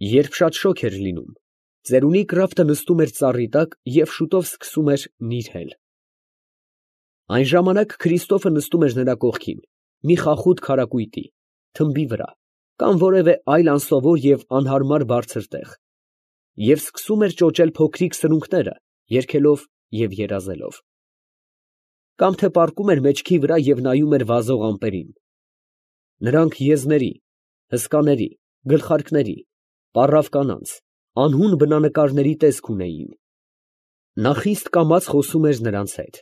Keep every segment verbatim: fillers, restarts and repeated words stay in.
Երբ շատ շոգ էր լինում, ծերունի Կրաֆտը նստում էր ծառի տակ և շուտով սկսում էր նիրհել։ Այն ժամանակ Քրիստոֆը նստում էր նրա կողքին, մի խախուտ քարակույտի, թմբի վրա, կամ որևէ այլ անսովոր և անհարմար բարձր տեղ, և սկսում էր ճոճել փոքրիկ սրունքները, երգելով և երազելով։ Կամ թե պառկում էր մեջքի վրա և նայում էր վազող ամպերին. նրանք եզների, հսկաների, գլխարկների, պառավ կանանց, անհուն բնանկարների տեսք ունեին։ Նա խիստ կամաց խոսում էր նրանց հետ,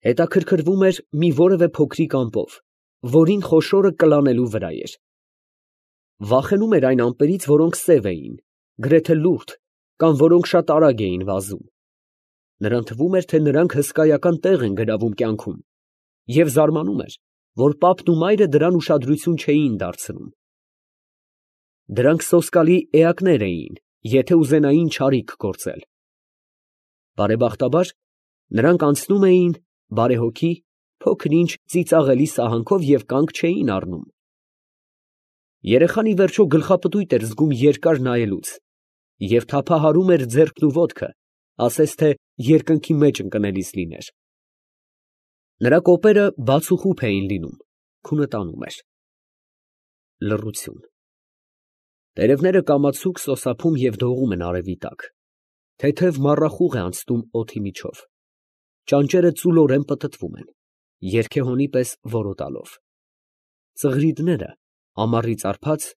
հետաքրքրվում էր մի որևէ փոքրիկ ամպով, որին խոշորը կլանելու վրա էր։ Վախենում էր այն ամպերից, որոնք սև էին, գրեթե լուրջ, կամ որոնք շատ արագ էին վազում։ Նրան թվում էր, թե նրանք հսկայական տեղ են գրավում կյանքում, և զարմանում էր, որ պապն ու մայրը դրան ուշադրություն չէին դարձնում։ Դրանք սոսկալի էակներ էին, եթե ուզենային չարիք գործել։ Բարեբախտաբար, նրանք անցնում էին բարեհոգի, փոքր֊ինչ ծիծաղելի սահանքով և կանգ չէին առնում։ Երեխան ի վերջո գլխապտույտ էր զգում երկար նայելուց և թափահարում էր ձեռքն ու ոտքը, ասես թե երկնքի մեջ ընկնելիս լիներ։ Նրա կոպերը բաց ու խուփ էին լինում, քունը տանում էր։ Լռություն։ Տերևները կամացուկ սոսափում և դողում են արևի տակ, թեթև մառախուղ է անցնում օդի միջով, ճանճերը ծուլորեն պտտվում են, երգեհոնի պես որոտալով։ Ծղրիդները, ամառից արբած,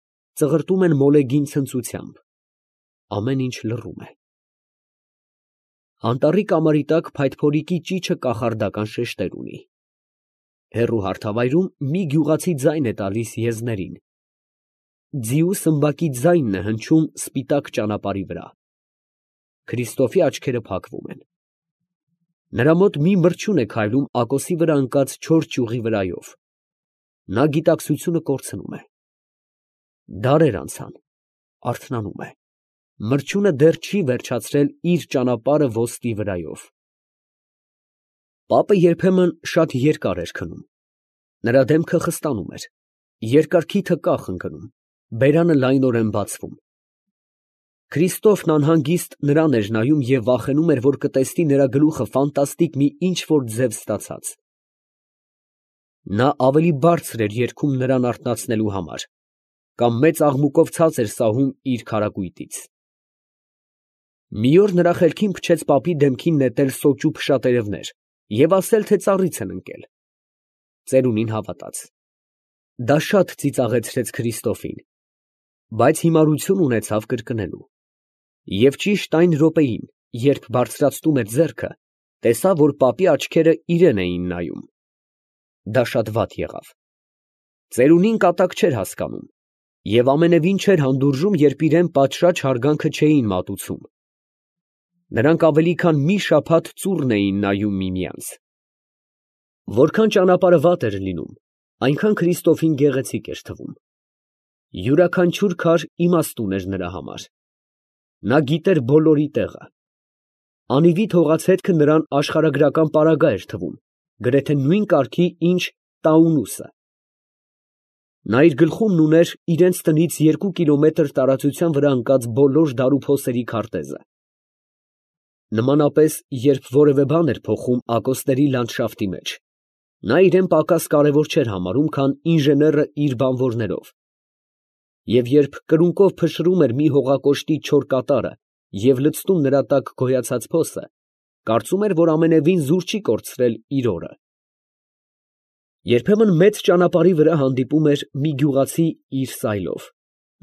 ծղրտում են մոլեգին ցնծությամբ, ամեն ինչ լռում է։ Անտառի կամարի տակ փայտփորիկի ճիչը կախարդական շեշտեր ունի։ Հեռու հարթավայրում մի գյուղացի ձայն է տալիս եզներին։ Ձիու սմբակի ձայնն է հնչում սպիտակ ճանապարհի վրա։ Քրիստոֆի աչքերը փակվում են։ Նրա մոտ մի մրջյուն է քայլում ակոսի վրա ընկած չոր ճյուղի վրայով։ Նա գիտակցությունը կորցնում է։ Դարեր անցան, արթնանում է։ Մրջյունը դեռ չի վերջացրել իր ճանապարհը ոսպի վրայով։ Պապը երբեմն շատ երկար էր քնում։ Նրա դեմքը խստանում էր, երկար քիթը կախ ընկնում, բերանը լայնորեն բացվում։ Քրիստոֆն անհանգիստ նրան էր նայում և վախենում էր, որ կտեսնի նրա գլուխը ֆանտաստիկ մի ինչ֊որ ձև ստացած։ Նա ավելի բարձր էր երգում նրան արթնացնելու համար, կամ մեծ աղմուկով ցած էր սահում իր քարակույտից։ Մի օր նրա խելքին փչեց պապի դեմքին նետել սոճու փշատերևներ և ասել, թե ծառից են ընկել։ Ծերունին հավատաց։ Դա շատ ծիծաղեցրեց Քրիստոֆին, բայց հիմարություն ունեցավ կրկնելու։ Եվ ճիշտ այն րոպեին, երբ բարձրացնում էր ձեռքը, տեսավ, որ պապի աչքերը իրան էին նայում։ Դա շատ վատ եղավ։ Ծերունին կատակ չէր հասկանում և ամենևին չէր հանդուրժում, երբ իրան պատշաճ հարգանքը չէին մատուցում։ Նրանք ավելի քան մի շաբաթ ծուռն էին նայում միմյանց։ Որքան ճանապարհը վատ էր լինում, այնքան Քրիստոֆին գեղեցիկ էր թվում։ Յուրաքանչյուր քար իմաստուն էր նրա համար։ Նա գիտեր բոլորի տեղը։ Անիվի թողածհետքը նրան աշխարհագրական պարագա էր թվում, գրեթե նույն կարգի, ինչ Տաունուսը։ Նա իր գլխումն ուներ իրենց տնից երկու կիլոմետր տարածության վրա ընկած բոլոր դարուփոսերի քարտեզը։ Նմանապես, երբ որևէ բան էր փոխում ակոսների լանդշաֆտի մեջ, նա իրան պակաս կարևոր չէր համարում, քան ինժեները իր բանվորներով, և երբ կրունկով փշրում էր մի հողակոշտի չոր կատարը և լցնում նրա տակ գոյացած փոսը, կարծում էր, որ ամենևին զուր չի կորցրել իր օրը։ Երբեմն մեծ ճանապարհի վրա հանդիպում էր մի գյուղացի իր սայլով։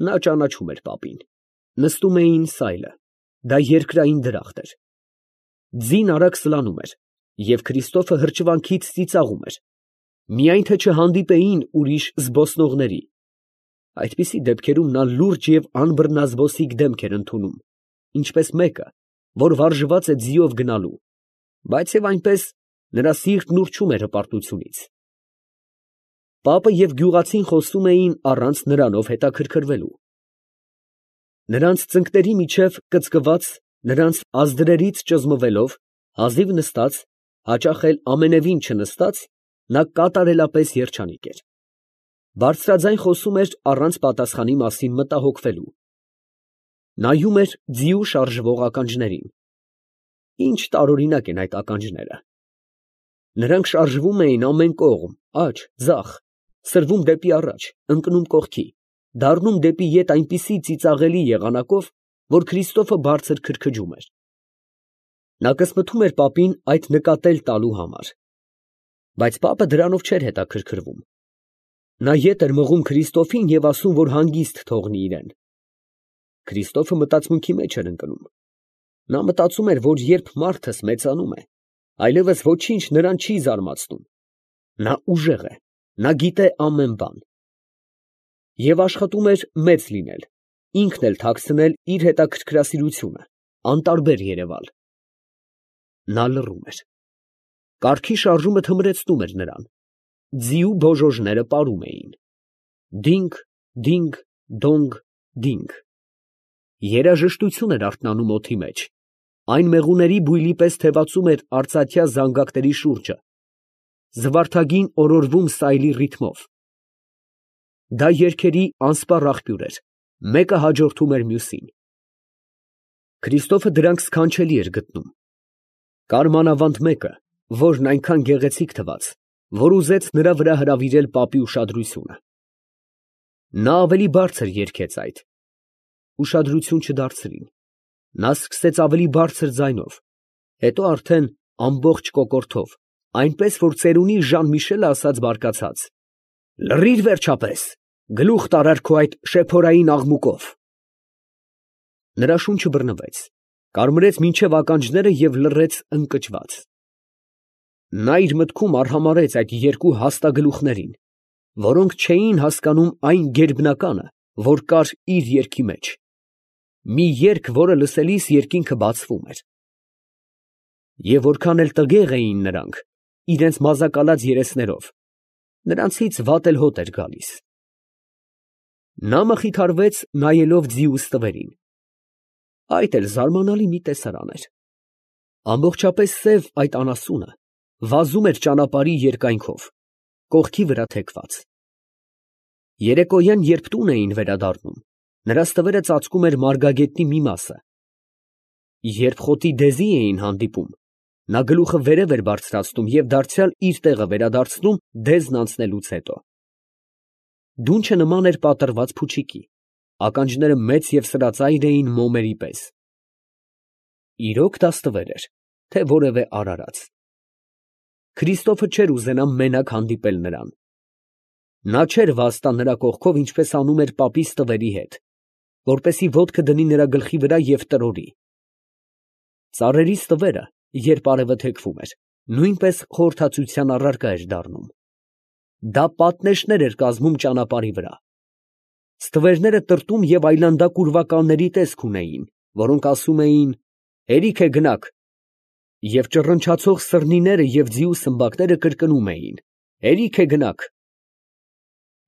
Նա ճանաչում էր պապին։ Նստում էին սայլը, դա երկրային դրախտ էր։ Ձին արագ սլանում էր, և Քրիստոֆը հրճվանքից ծիծաղում էր, միայն թե չհանդիպեին ուրիշ զբոսնողների։ Այդպիսի դեպքերում նա լուրջ և անբռնազբոսիկ դեմք էր ընդունում, ինչպես մեկը, որ վարժված է ձիով գնալու, բայց և այնպես նրա սիրտն ուռչում էր հպարտությունից։ Պապը և գյուղացին խոսում էին առանց նրանով հետաքրքրվելու։ Նրանց ծնկների միջև կծկված, նրանց ազդրերից ճզմվելով, հազիվ նստած, հաճախ էլ ամենևին չնստած, նա կատարելապես երջանիկ էր։ Բարձրաձայն խոսում էր առանց պատասխանի մասին մտահոգվելու։ Նայում էր ձիու շարժվող ականջներին։ Ինչ տարօրինակ են այդ ականջները։ Նրանք շարժվում էին ամեն կողմ, աջ, ձախ, սրվում դեպի առաջ, ընկնում կողքի, դառնում դեպի ետ այնպիսի ծիծաղելի եղանակով, որ Քրիստոֆը բարձր քրքջում էր։ Նա կսմթում էր պապին այդ նկատել տալու համար, բայց պապը դրանով չէր հետաքրքրվում։ Նա ետ էր մղում Քրիստոֆին և ասում, որ հանգիստ թողնի իրեն։ Քրիստոֆը մտածմունքի մեջ էր ընկնում։ Նա մտածում էր, որ երբ մարդս մեծանում է, այլևս ոչինչ նրան չի զարմացնում։ Նա ուժեղ է, նա գիտե ամեն բան։ Եվ աշխատում էր մեծ լինել, ինքն էլ թաքցնել իր հետաքրքրասիրությունը, անտարբեր երևալ։ Նա լռում էր։ Կառքի շարժումը թմրեցնում էր նրան։ Ձիու բոժոժները պարում էին։ Դինգ, դինգ, դոնգ, դինգ։ Երաժշտություն էր արթնանում օդի մեջ, այն մեղուների բույլի պես թևածում էր արծաթյա զանգակների շուրջը, զվարթագին օրորվում սայլի ռիթմով։ Դա երգերի անսպառ աղբյուր էր, մեկը հաջորդում էր մյուսին։ Քրիստոֆը դրանք սքանչելի էր գտնում։ Կար մանավանդ մեկը, որն այնքան գեղեցիկ թվաց, որ ուզեց նրա վրա հրավիրել պապի ուշադրությունը։ Նա ավելի բարձր երգեց այդ։ Ուշադրություն չդարձրին։ Նա սկսեց ավելի բարձր ձայնով, հետո արդեն ամբողջ կոկորդով, այնպես որ ծերունի Ժան֊Միշելը ասաց բարկացած. «Լռի՛ր վերջապես, գլուխ տարար քո այդ շեփորային աղմուկով»։ Նրա շունչը բռնվեց, կարմրեց մինչև ականջները և լռեց ընկճված։ Նա իր մտքում արհամարհեց այդ երկու հաստագլուխներին, որոնք չէին հասկանում այն գերբնականը, որ կար իր երգի մեջ, մի երգ, որը լսելիս երկինքը բացվում էր։ Եվ որքան էլ տգեղ էին նրանք, իրենց մազակալած երեսներով, նրանցից վատ էլ հոտ էր գալիս։ Նա մխիթարվեց, նայելով ձիու ստվերին։ Այդ էլ զարմանալի մի տեսարան էր։ Ամբողջապես սև այդ անասունը վազում էր ճանապարհի երկայնքով, կողքի վրա թեքված։ Երեկոյան, երբ տուն էին վերադառնում, նրա ստվերը ծածկում էր մարգագետնի մի մասը։ Երբ խոտի դեզի էին հանդիպում, նա գլուխը վերև էր բարձրացնում և դարձյալ իր տեղը վերադարձնում դեզն անցնելուց հետո։ Դունչը նման էր պատռված փուչիկի, ականջները մեծ և սրածայր էին մոմերի պես։ Իրոք դա ստվեր էր, թե որևէ արարած։ Քրիստոֆը չէր ուզենա մենակ հանդիպել նրան։ Նա չէր վաստա նրա կողքով, ինչպես անում էր պապի ստվերի հետ, որպեսզի ոտքը դնի նրա գլխի վրա և տրորի։ Ծառերի ստվերը, երբ արևը թեքվում էր, նույնպես խորհրդածության առարկա էր դառնում։ Դա պատնեշներ էր կազմում ճանապարհի վրա։ Ստվերները տրտում և այլանդակ ուրվականների տեսք ունեին, որոնք ասում էին. «Հերիք է գնաք», և ճռնչացող սռնիները և ձիու սմբակները կրկնում էին. «Հերիք է գնաք»։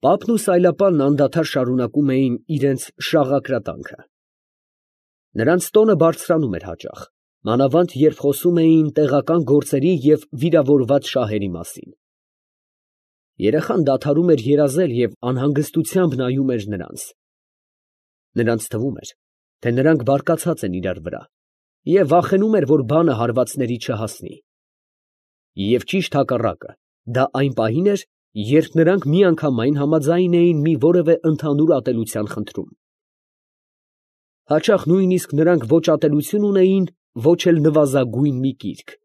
Պապն ու սայլապանն անդադար շարունակում էին իրենց շաղակրատանքը։ Նրանց տոնը բարձրանում էր հաճախ, մանավանդ երբ խոսում էին տեղական գործերի և վիրավորված շահերի մասին։ Երեխան դադարում էր երազել և անհանգստությամբ նայում էր նրանց։ Նրանց թվում էր, թե նրանք բարկացած են իրար վրա և վախենում էր, որ բանը հարվածների չհասնի։ Եվ ճիշտ հակառակը, դա այն պահին էր, երբ նրանք միանգամայն համաձայն էին մի որևէ ընդհանուր ատելության խնդրում։ Հաճախ նույնիսկ նրանք ոչ ատելություն ունեին, ոչ էլ նվազագույն մի կիրք։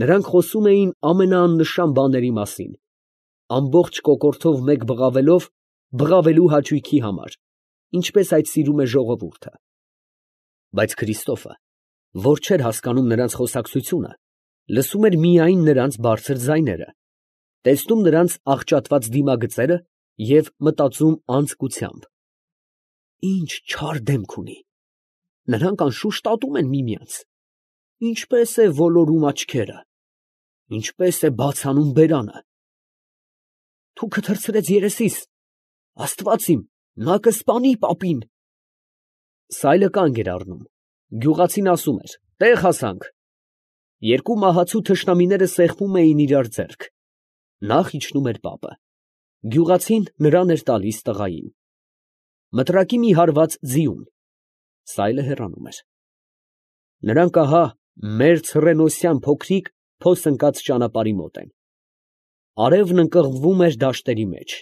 Նրանք խոսում էին ամենաաննշան բաների մասին, ամբողջ կոկորդով մեկ բղավելով բղավելու հաճույքի համար, ինչպես այդ սիրում է ժողովուրդը։ Բայց Քրիստոֆը, որ չէր հասկանում նրանց խոսակցությունը, լսում էր միայն նրանց բարձր ձայները, տեսնում նրանց աղճատված դիմագծերը և մտածում անձկությամբ. «Ինչ չար դեմք ունի, նրանք անշուշտ ատում են միմյանց, ինչպես է ոլորում աչքերը, ինչպես է բաց անում բերանը, թուքը թռցրեց երեսիս, Աստված իմ, նա կսպանի պապին»։ Սայլը կանգ էր առնում, գյուղացին ասում էր. «Տեղ հասանք»։ Երկու մահացու թշնամիները սեղմում էին իրար ձեռք։ Նախ իջնում էր պապը, գյուղացին նրան էր տալիս տղային։ Մտրակի մի հարված ձիուն, սայլը հեռանում էր։ Նրանք ահա մեր ցռենոսյան փոքրիկ փոս ընկած ճանապարհի մոտ են։ Արևն ընկղմվում էր դաշտերի մեջ։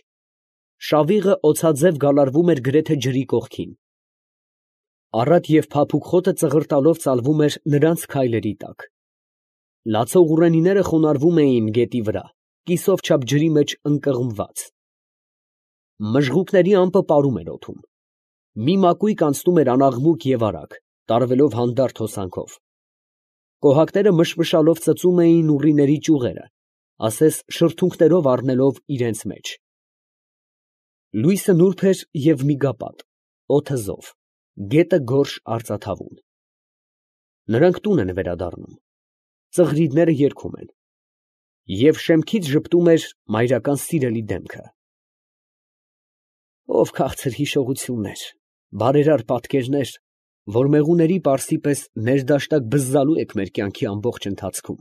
Շավիղը օձաձև գալարվում էր գրեթե ջրի կողքին։ Առատ և փափուկ խոտը ծղրտալով ծալվում էր նրանց քայլերի տակ։ Լացող ուռենիները խոնարհվում էին գետի վրա, կիսով չափ ջրի մեջ ընկղմված։ Մժղուկների ամպը պարում էր օդում։ Մի մակույկ անցնում էր անաղմուկ և արագ, տարվելով հանդարտ հոսանքով։ Կոհակները մշմշալով ծծում էին ուռիների ճյուղերը, ասես շրթունքներով առնելով իրենց մեջ։ Լույսը նուրբ էր և միգապատ, օդը զով, գետը գորշ արծաթավուն։ Նրանք տուն են վերադառնում։ Ծղրիդները երգում են։ Եվ շեմքից ժպտում էր մայրական սիրելի դեմքը։ Ով քաղցր հիշողություններ, բարերար պատկերներ, որ մեղուների պարսի պես ներդաշնակ բզզալու եք մեր կյանքի ամբողջ ընթացքում։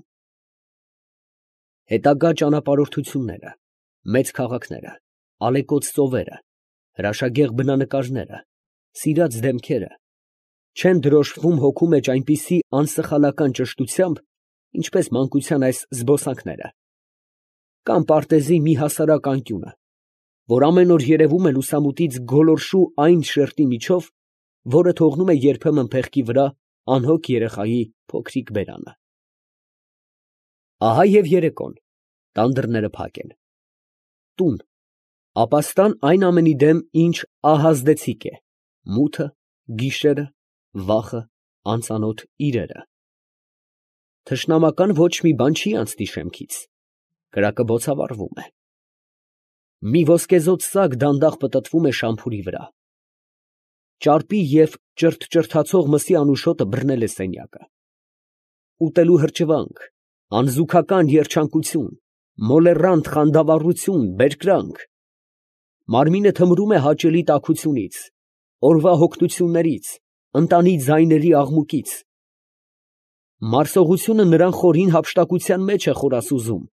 Հետագա ճանապարհորդությունները, մեծ քաղաքները, ալեկոծ ծովերը, հրաշագեղ բնանկարները, սիրած դեմքերը չեն դրոշմվում հոգու մեջ այնպիսի անսխալական ճշտությամբ, ինչպես մանկության այս զբոսանքները, կամ պարտեզի մի հասարակ անկյունը, որ ամեն օր երևում է լուսամուտից գոլորշու այն շերտի միջով, որը թողնում է երբեմն փեղկի վրա անհոգ երեխայի փոքրիկ բերանը։ Ահա և երեկոն, տան դռները փակ են։ Տուն, ապաստան այն ամենի դեմ, ինչ ահազդեցիկ է, մութը, գիշերը, վախը, անծանոթ իրերը։ Թշնամական ոչ մի բան չի անցնի շեմքից, կրակը բոցավառվում է։ Մի ոսկեզօծ սագ դանդաղ պտտվում է շամփուրի վրա։ Ճարպի և ճրթճրթացող մսի անուշոտը բռնել է սենյակը։ Ուտելու հրճվանք, անզուգական երջանկություն, մոլեռանդ խանդավառություն, բերկրանք։ Մարմինը թմրում է հաճելի տաքությունից, օրվա հոգնություններից, ընտանի ձայների աղմուկից։ Մարսողությունը նրան խորին հափշտակության մեջ է խորասուզում։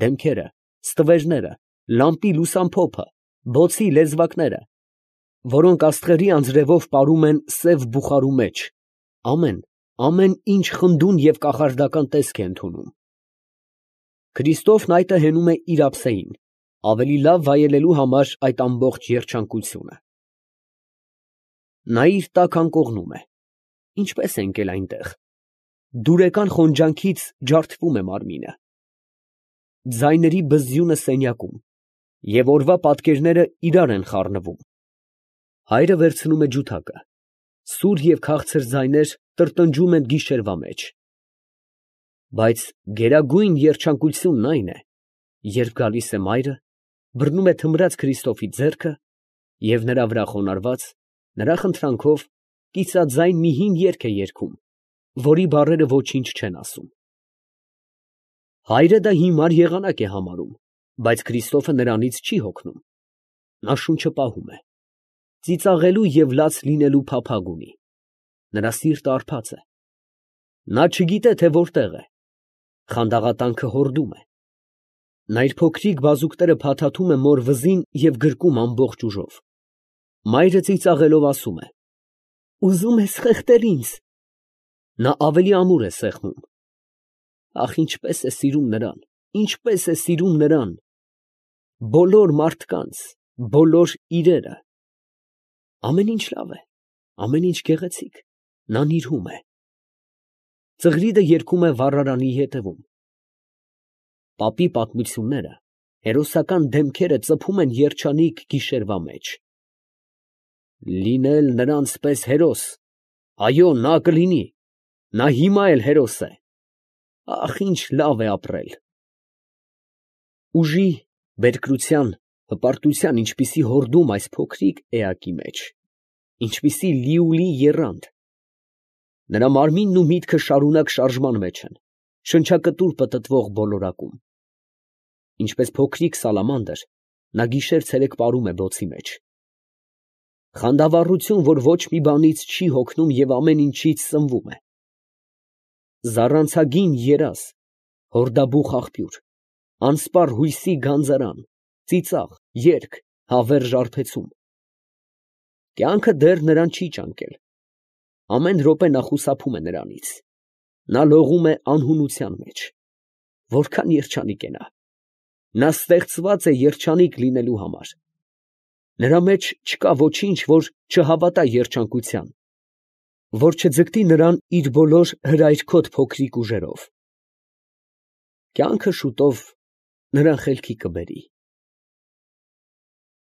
Դեմքերը, ստվերները, լամպի լուսամփոփը, բոցի լեզվակները, որոնք աստղերի անձրևով պարում են սև բուխարու մեջ, ամեն, ամեն ինչ խնդուն և կախարդական տեսք է ընդունում։ Քրիստոֆն այտը հենում է իր ափսեին, ավելի լավ վայելելու համար այդ ամբողջ երջանկությունը։ Նա իր տակ անկողնում է։ Ինչպե՞ս է ընկել այնտեղ։ Դուրեկան խոնջանքից ջարդվում է մարմինը։ Ձայների բզզյունը սենյակում, և օրվա պատկերները իրար են խառնվում։ Հայրը վերցնում է ջութակը։ Սուր և քաղցր ձայներ տրտնջում են գիշերվա մեջ։ Բայց գերագույն երջանկությունն այն է, երբ գալիս է մայրը, բռնում է թմրած Քրիստոֆի ձեռքը և նրա վրա խոնարհված, նրա խնդրանքով, կիսաձայն մի հին երգ է երգում, որի բառերը ոչինչ չեն ասում։ Հայրը դա հիմար եղանակ է համարում, բայց Քրիստոֆը նրանից չի հոգնում։ Նա շունչը պահում է։ Ծիծաղելու և լաց լինելու փափագ ունի։ Նրա սիրտը արբած է։ Նա չգիտե, թե որտեղ է։ Խանդաղատանքը հորդում է։ Նա իր փոքրիկ բազուկները փաթաթում է մոր վզին և գրկում ամբողջ ուժով։ Մայրը ծիծաղելով ասում է. «Ուզում ես խեղդել ինձ»։ Նա ավելի ամուր է սեղմում։ Ախ, ինչպես է սիրում նրան, ինչպես է սիրում նրան։ Բոլոր մարդկանց, բոլոր իրերը։ Ամեն ինչ լավ է, ամեն ինչ գեղեցիկ, նա նիրհում է։ Ծղրիդը երգում է վառարանի ետևում։ Պապի պատմությունները, հերոսական դեմքերը ծփում են երջանիկ գիշերվա մեջ։ Լինել նրանց պես հերոս, այո, նա կլինի, նա հիմա էլ հերոս է։ Ախ, ինչ լավ է ապրել։ Ուժի, բերկրության, հպարտության ինչպիսի հորդում այս փոքրիկ էակի մեջ, ինչպիսի լիուլի եռանդ։ Նրա մարմինն ու միտքը շարունակ շարժման մեջ են, շնչակտուր պտտվող բոլորակում։ Ինչպես փոքրիկ սալամանդր, նա գիշեր֊ցերեկ պարում է բոցի մեջ։ Խանդավառություն, որ ոչ մի բանից չի հոգնում և ամեն ինչից սնվում է։ Զառանցագին երազ, հորդաբուխ աղբյուր, անսպառ հույսի գանձարան, ծիծաղ, երգ, հավերժ արբեցում։ Կյանքը դեռ նրան չի ճանկել, Ամեն րոպե նա խուսափում է նրանից. նա լողում է անհունության մեջ։ Որքան երջանիկ է նա. նա ստեղծված է երջանիկ լինելու համար։ Նրա մեջ չկա ոչինչ, որ չհավատա երջանկության, որ չձգտի նրան իր բոլոր հրայրքոտ փոքրիկ ուժերով։ Կյանքը շուտով նրան խելքի կբերի։